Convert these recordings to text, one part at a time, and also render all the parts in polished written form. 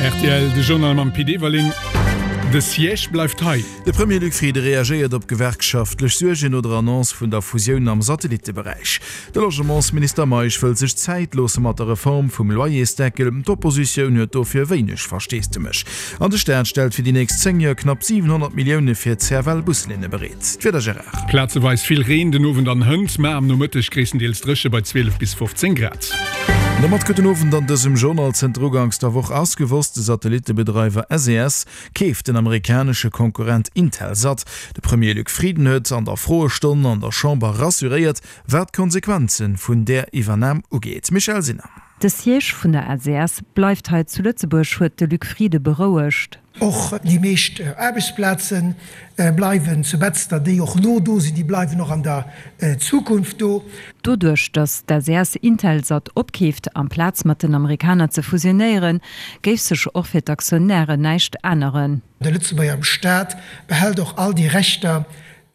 Rtl, De Journal mam Pit Everling. De Siège bleift hei. De Premier Luc Frieden reagéiert op gewerkschaftlech Suergen no der Annonce vun der Fusioun am Satellitteberäich. De Logementsminister Meisch wëll sech Zäit loosse mat der Reform vum Loyersdeckel. D'Oppositioun huet dofir wéineg Versteesdemech. An de Staat stellt fir déi nächst 10 Joer knapp 700 Millioune fir d'CFL-Buslinne bereet. D'Wieder, Gérard. Plazeweis vill Reen den Owend an hënt, mä am Nomëtteg gréisstendeels dréche bei 12 bis 15 Grad. An domat gudden Owend an dësem Journal. Zënter uganks der Woch ass gewosst, de Satellittebedreiwer SES keeft den amerikanesche Konkurrent Intelsat. De Premier Luc Frieden huet an der Froestonn an der Chamber rassuréiert, wat d'Konsequenze vun där Iwwernam ugeet. Michèle Sinner. De Siège vun der SES bleift hei zu Lëtzebuerg, huet de Luc Frieden berouegt. Och déi meescht Aarbechtsplaze bleiwen zu Betzder, déi och elo do sinn, déi bleiwen och an der Zukunft do. Doduerch, datt d'SES Intelsat opkeeft, amplaz mat den Amerikaner ze fusionéieren, géif sech och fir d'Aktionären näischt änneren. De Lëtzebuerger Staat behält och all déi Rechter,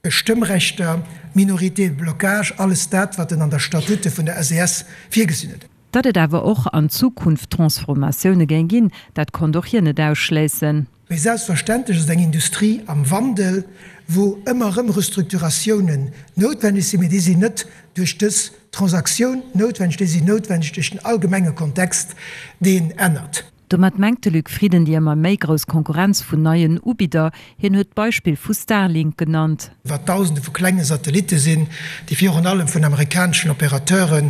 Stëmmrechter, Minorité de blocage, alles dat, wat en an der Statute vun der SES virgesinn huet. Datt et awer och an Zukunft Transformatioune géing ginn, dat konnt och hien net ausschléissen. Mee selbstverständlech ass et eng Industrie am Wandel, wou ëmmer erëm Restrukturatiounen noutwenneg sinn. Mee déi sinn net duerch dës Transaktioun noutwenneg, déi sinn noutwenneg duerch den allgemenge Kontext, deen ännert. Domat mengt de Luc Frieden déi ëmmer méi grouss Konkurrenz vun neien Ubidder. Hien huet d'Beispill vu Starlink genannt. Wat Dausende vu klenge Satellitte sinn, déi virun allem vun amerikaneschen Opérateure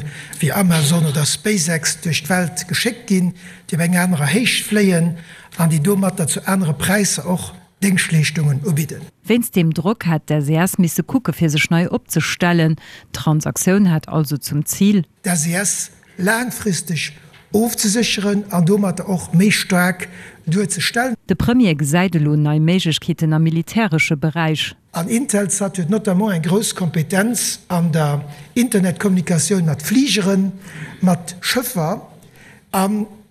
wéi Amazon oder SpaceX duerch d'Welt geschéckt ginn, déi op eng anerer Héicht fléien an déi domatter zu anere Präisser och Déngschtleeschtungen ubidden. Wéinst deem Drock hätt d'SES misse kucke fir sech nei opzestellen. D'Transaktioun hat also zum Zil. D'SES laangfristeg ofzesécheren an domatter och méi staark duerzestellen. De Premier gesäit elo nei Méiglechkeeten am militäresche Beräich. An Intelsat huet notamment eng grouss Kompetenz an der Internetkommunikatioun mat Fligeren, mat Schëffer a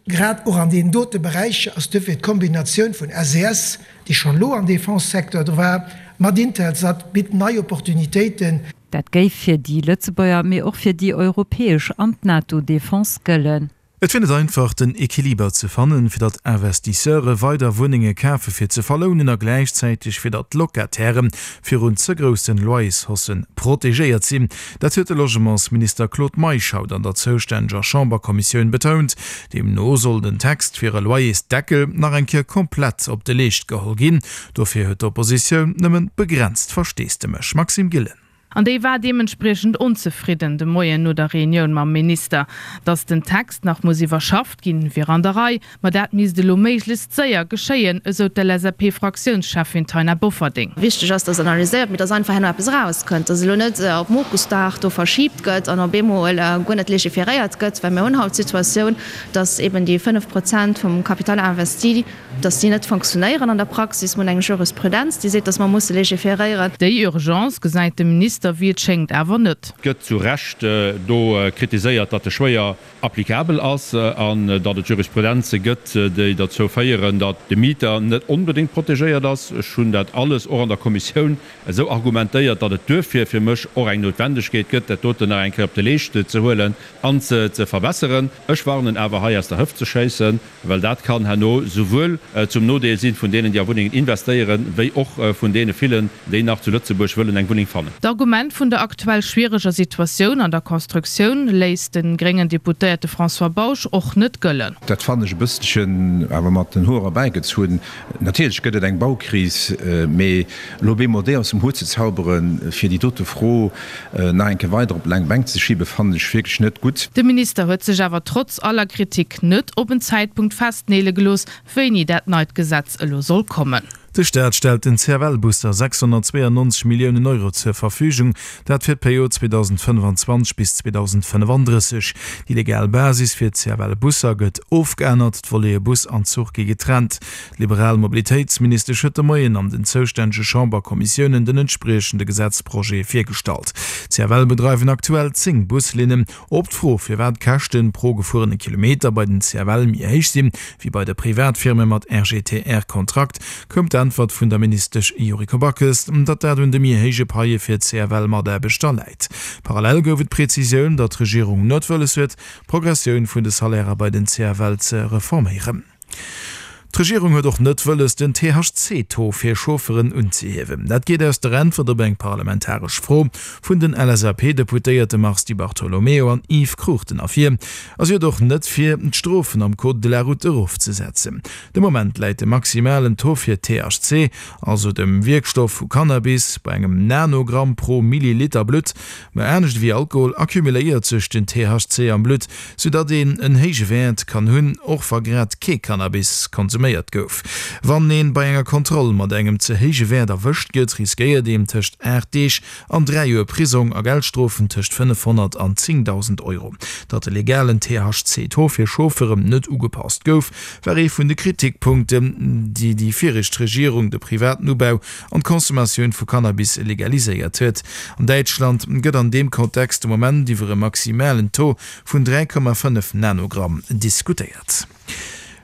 grad och an deenen dote Beräicher ass duerfir d'Kombinatioun vun SES, déi schonn elo am Defense-Secteur dru war, mat Intelsat bitt nei Opportunitéiten. Dat géif fir déi Lëtzebuerger, mee och fir déi europäesch an d'NATO-Defense gëllen. Et wier net einfach, den Equiliber ze fannen, fir datt Investisseure weider Wunnenge kafe fir ze verlounen a gläichzäiteg fir datt d'Locataire virun ze groussen Loyershaussë protegéiert sinn. Dat huet de Logementsminister Claude Meisch haut an der zoustänneger Chamberkommissioun betount. Deemno soll den Text fir e Loyersdeckel nach eng Kéier komplett op de Leescht geholl ginn. Dofir huet d'Oppositioun nëmmen begrenzt Versteesdemech. Maxime Gillen. An déi war deementspriechend onzefridden de Moien no der Reunioun mam Minister. Datt den Text nach muss iwwerschafft ginn, wier an der Rei, ma dat misst elo méiglechst séier geschéien, esou d'LSAP-Fraktiounscheffin Taina Bofferding. Wichteg ass, datt analyséiert, mee datt einfach herno eppes erauskënnt, datt elo net op Mokusdag do verschiibt gëtt an op eemol guer net legiferéiert gëtt, well mir hunn haut d'Situatioun, datt eben déi 5 Prozent vum Capital investi, dass déi net fonctionnéieren an der Praxis. Mir hunn eng Jurisprudenz, déi seet, dass mer musse légiféréieren. Déi Urgence gesäit de Minister wéi et schéngt awer net. Et gëtt zu Recht do kritiséiert, datt e schwéier applicabel ass an datt et Jurisprudenze gëtt, déi derzou féieren, datt de Mieter net onbedéngt protegéiert ass. Ech hunn dat alles och an der Kommissioun esou argumentéiert, datt et duerfir fir mech och eng Noutwendegkeet gëtt, dat doten nach eng Kéier op de Leescht ze huelen an ze verbesseren. Ech warnen awer, hei aus der Hëft ze schéissen. Well dat kann herno souwuel zum Nodeel si vun deenen, déi a Wunnengen investéieren, wéi och vun deene villen, déi nach zu Lëtzebuerg wëllen eng Wunneng fannen. D'Argument vun der aktuell schwiereger Situatioun an der Constructioun léisst de gréngen Deputéierte François Bausch och net gëllen. Dat fannen ech e bësselchen awer mat den Hoer erbäigezunn. Natierlech gëtt et eng Baukris, mee elo op eemol déi aus dem Hutt ze zauberen, fir déi dote Fro nach eng Kéier weider op d'laang Bänk ze schiben, fannen ech wierklech net gutt. De Minister huet sech awer trotz aller Kritik net op en Zäitpunkt festneele gelooss, wéini dat neit Gesetz elo soll kommen. De Staat stellt den CFL-Busser 692 Milliounen Euro zur Verfügung, dat fir d'Period 2025 bis 2035. Déi legal Basis fir d'CFL-Busser gëtt ofgeännert, d'Volete Bus an Zuch gi getrennt. D'liberal Mobilitéitsministesch huet de Moien an den zoustännege Chamberkommissiounen den entspriechende Gesetzprojet virgestallt. D'CFL bedreiwen aktuell 10 Buslinnen. Op d'Fro, firwat d'Käschte pro gefuerene Kilometer bei den CFL méi héich sinn, wéi bei de Privatfirme mat RGTR-Kontrakt, koum d'Äntwert vun der Ministesch Yuriko Backes, datt dat un de méi héije Paie fir d'CFL-Mataarbechter läit. Parallel gouf et d'Prezisioun, datt d'Regierung net wëlles huet, d'Progressioun vun de Salairer bei den CFL ze reforméieren. D'Regierung huet och net wëlles, den THC-Taux fir Chaufferen unzehiewen. Dat geet aus der Äntwert op eng parlamentaresch Fro vun den LSAP-Deputéierte Mars Di Bartolomeo an Yves Cruchten ervir. A si huet och net vir, d'Strofen am Code de la route erofzesetzen. De Moment läit de maximalen Taux fir THC, also dem Wierkstoff vu Cannabis, bei engem Nanogramm pro Milliliter Blutt. Mä anescht ewéi Alkohol accumuléiert sech den THC am Blutt, soudatt een en héije Wäert kann hunn, och wa grad kee Cannabis konsuméiert gouf. Wann ee bei enger Kontroll mat engem ze héije Wäert erwëscht gëtt, riskéiert een tëscht 8 Deeg an 3 Joer Prisong a Geldstrofen tëscht 500 an 10.000 Euro. Datt de legalen THC-Taux fir Chaufferen net ugepasst gouf, war ee vun de Kritikpunkten, déi déi viregt Regierung de privaten Ubau an d'Consommatioun vu Cannabis legaliséiert huet. An Däitschland gëtt an deem Kontext de Moment iwwer e maximalen Taux vun 3,5 Nanogramm diskutéiert.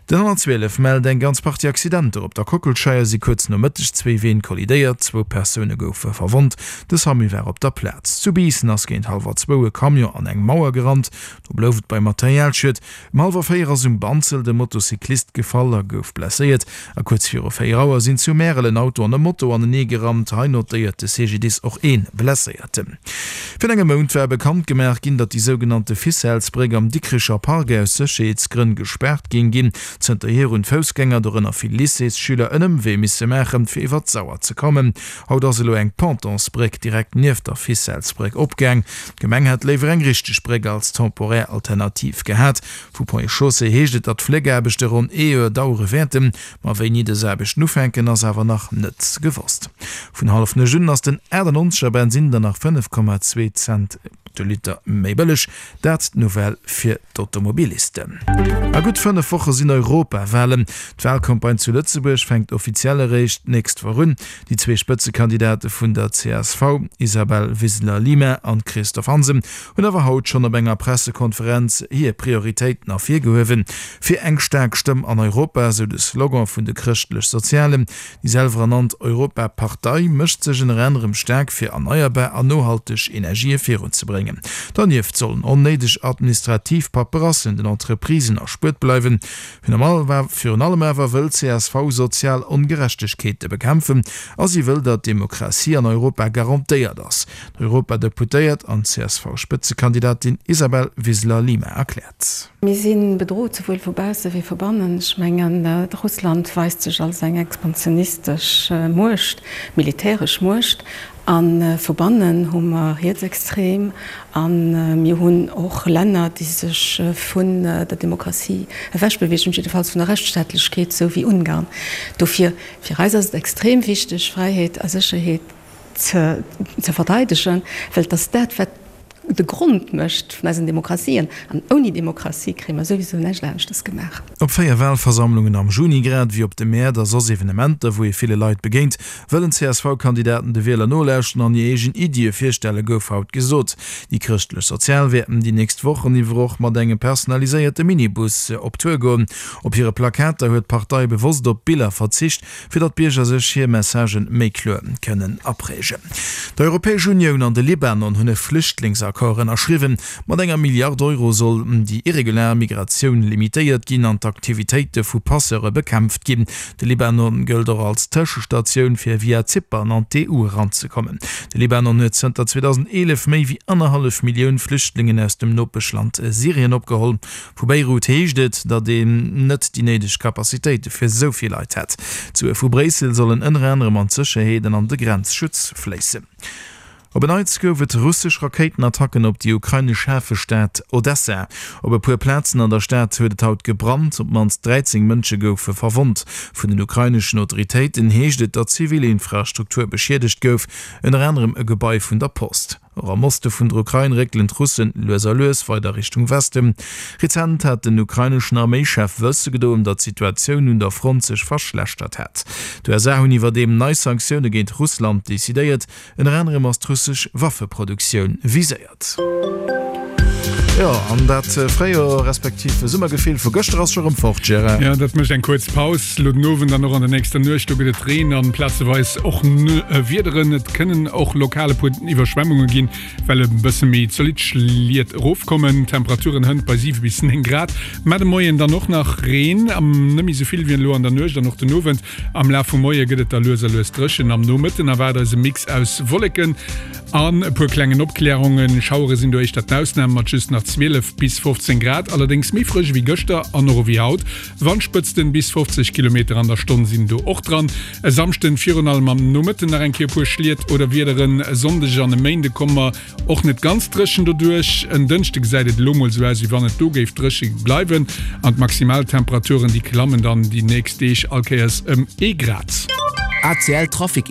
Den 112 mellt eng ganz Partie Accidenter. Op der Kockelscheier si kuerz no Mëtteg zwéi Ween kollidéiert, zwou Persoune goufe verwonnt. De Samu war op der Plaz. Zu Biissen ass géint hallwer zwou e Camion an eng Mauer gerannt. Do blouf et bei Materialschued. Um hallwer 4 ass um Banzelt e Motocyclist gefall a gouf blesséiert. A kuerz viru 4 Auer sinn zu Märel en Auto an e Moto anenee gerammt. Hei notéiert de CGDIS och ee Blesséierten. Virun engem Mount war bekannt gemaach ginn, datt déi sougenannte Ficellesbréck am Dikricher Park aus Sécherheetsgrënn gespaart géing ginn. Zënterhier hunn d'Foussgänger, dorënner vill Lycéesschüler, en Ëmwee misse maachen, fir iwwer d'Sauer ze kommen. Haut ass elo eng Pontonsbréck direkt nieft der Ficellesbréck opgaang. D'Gemeng hätt léiwer eng richteg Bréck als temporär Alternativ gehat. Vu Ponts et Chaussées heescht et, datt d'Fléckaarbechte ronn ee Joer dauere wäerten. Ma wéini dës Aarbechten ufänken, ass awer nach net gewosst. Vun hallef 9 un ass den 98 er Bensinn dann nach 5,2 Cent de Liter méi bëlleg. Dat d'Nouvelle fir d'Automobilisten. A gutt 5 Woche sinn Europawalen. D'Walcampagne zu Lëtzebuerg fänkt offiziell eréischt d'nächst Woch un. Déi zwee Spëtzekandidate vun der csv, Isabel Wiseler-Lima an Christophe Hansen, hunn awer haut schonn op enger Pressekonferenz hir Prioritéiten ervirgehuewen. Fir eng staark Stëmm an Europa, esou de Slogan vun de Chrëschtlech-Sozialen. Déi selwerernannt Europapartei mécht sech ënner anerem staark fir erneierbar an nohalteg Energië virunzebréngen. Donieft sollen onnéideg administrativ Paperassen den Entreprisen erspuert bleiwen. Virun allem awer wëll csv sozial Ongerechtegkeete bekämpfen a si wëll, datt d'Demokratie an Europa garantéiert ass. D'Europadeputéiert an CSV-Spëtzekandidatin Isabel Wiseler-Lima erkläert. Mir si bedrot, souwuel vu bausse wéi vu bannen. Ech mengen, Russland weist sech als eng expansionistesch Muecht, militäresch Muecht. A vu bannen hu mer Rietsextrem a mir hunn och Länner, déi sech vun der Demokratie ewechbeweegen, jiddefalls vun der Rechtsstaatlechkeet, esou wéi Ungarn. Dofir, fir eis ass et extrem wichteg, Fräiheet a Sécherheet ze verteidegen, well et ass dat, wat de Grond mécht vun eisen Demokratien. An ouni Demokratie kréie mer souwisou näischt aneschtes gemaach. Op 4 Walversammlungen am Juni, grad ewéi op de Mäert a soss Evenementer, wou ee ville Leit begéint, wëllen d'CSV-Kandidaten de Wieler nolauschten an hir eegen Iddie virstellen, gouf haut gesot. Déi Chrëschtlech-Sozial wäerten déi nächst Wochen iwwer och mat engem personaliséierte Minibus op Tour goen. Op hire Plakater huet d'Partei bewosst op Biller verzicht, fir datt d'Bierger sech hir Messagen méi kloer kënnen aprägen. D'Europäesch Unioun an de Libanon hunn e Flüchtlingsaccord ënnerschriwwen. Mat enger Milliard Euro soll déi irregulär Migratioun limitéiert ginn an d'Aktivitéite vu Passeure bekämpft ginn. De Libanon gëllt och als Tëschestatioun fir via Zypern an d'EU eranzekommen. De Libanon huet zënter 2011 méi wéi annerhallef Millioun Flüchtlingen aus dem Nopeschland Syrien opgeholl. Vu Beirut heescht et, datt een net déi néideg Capacitéite fir esou vill Leit hätt. D'Sue vu Bréissel sollen ënner anerem an d'Sécherheet an an de Grenzschutz fléissen. Op en Neits gouf et russesch Rakéitenattacken op déi ukrainesch Hafestad Odessa. Op e puer Plazen an der Stad huet et haut gebrannt, op d'mannst 13 Mënsche goufe verwonnt. Vun den ukraineschen Autoritéiten heescht et, datt zivil Infrastruktur beschiedegt gouf, ënner anerem e Gebai vun der Post. Och am Oste vun der Ukrain réckelen d'Russen lues a lues weider Richtung Westen. Rezent hat den ukraineschen Arméichef wësse gedoen, datt d'Situatioun un der Front sech verschlechtert hätt. D'USA hunn iwwerdeem nei Sanktioune géint Russland decidéiert. Ënner anerem ass d'russesch Waffeproduktioun viséiert. Jo, an dat Fréijoer respektiv Summergefill vu gëschter ass scho rëm fort, Gérard. Jo, dat mécht eng kuerz Paus lo den Owend an och an der nächster Nuecht. Do gëtt et Reen an plazeweis och Wiederen. Et kënnen och lokal e puer Iwwerschwemmunge ginn, well e bësse méi zolidd Schliet erofkommen. Temperaturen hënt bei 7 bis 9 Grad. Mä de Moien dann och nach Reen, net méi esou vill wéi elo an der Nuecht an och den Owend. Am Laf vum Moie gëtt et da lues a lues dréchen. Am Nomëtten erwaart eis e Mix aus Wolleken An e puer klengen Opklärungen, Schauere sinn do éischter d'Ausnam mat just nach 12 bis 15 Grad, allerdéngs méi frësch ewéi gëschter an och ewéi haut. Wandspëtzten bis 50 Kilometer an der Stonn sinn do och dran. E Samschden virun allem am Nomëtten nach eng Kéier e puer Schliet oder Wiederen. E Sonndeg an e Méinde komme mer och net ganz dréchen doduerch. En Dënschde gesäit et elo mol sou aus, wéi wann et do géif dréche bleiwen an d'Maximaltemperaturen déi klammen dann déi nächst Deeg all Kéiers ëm ee Grad. ACL Trafic.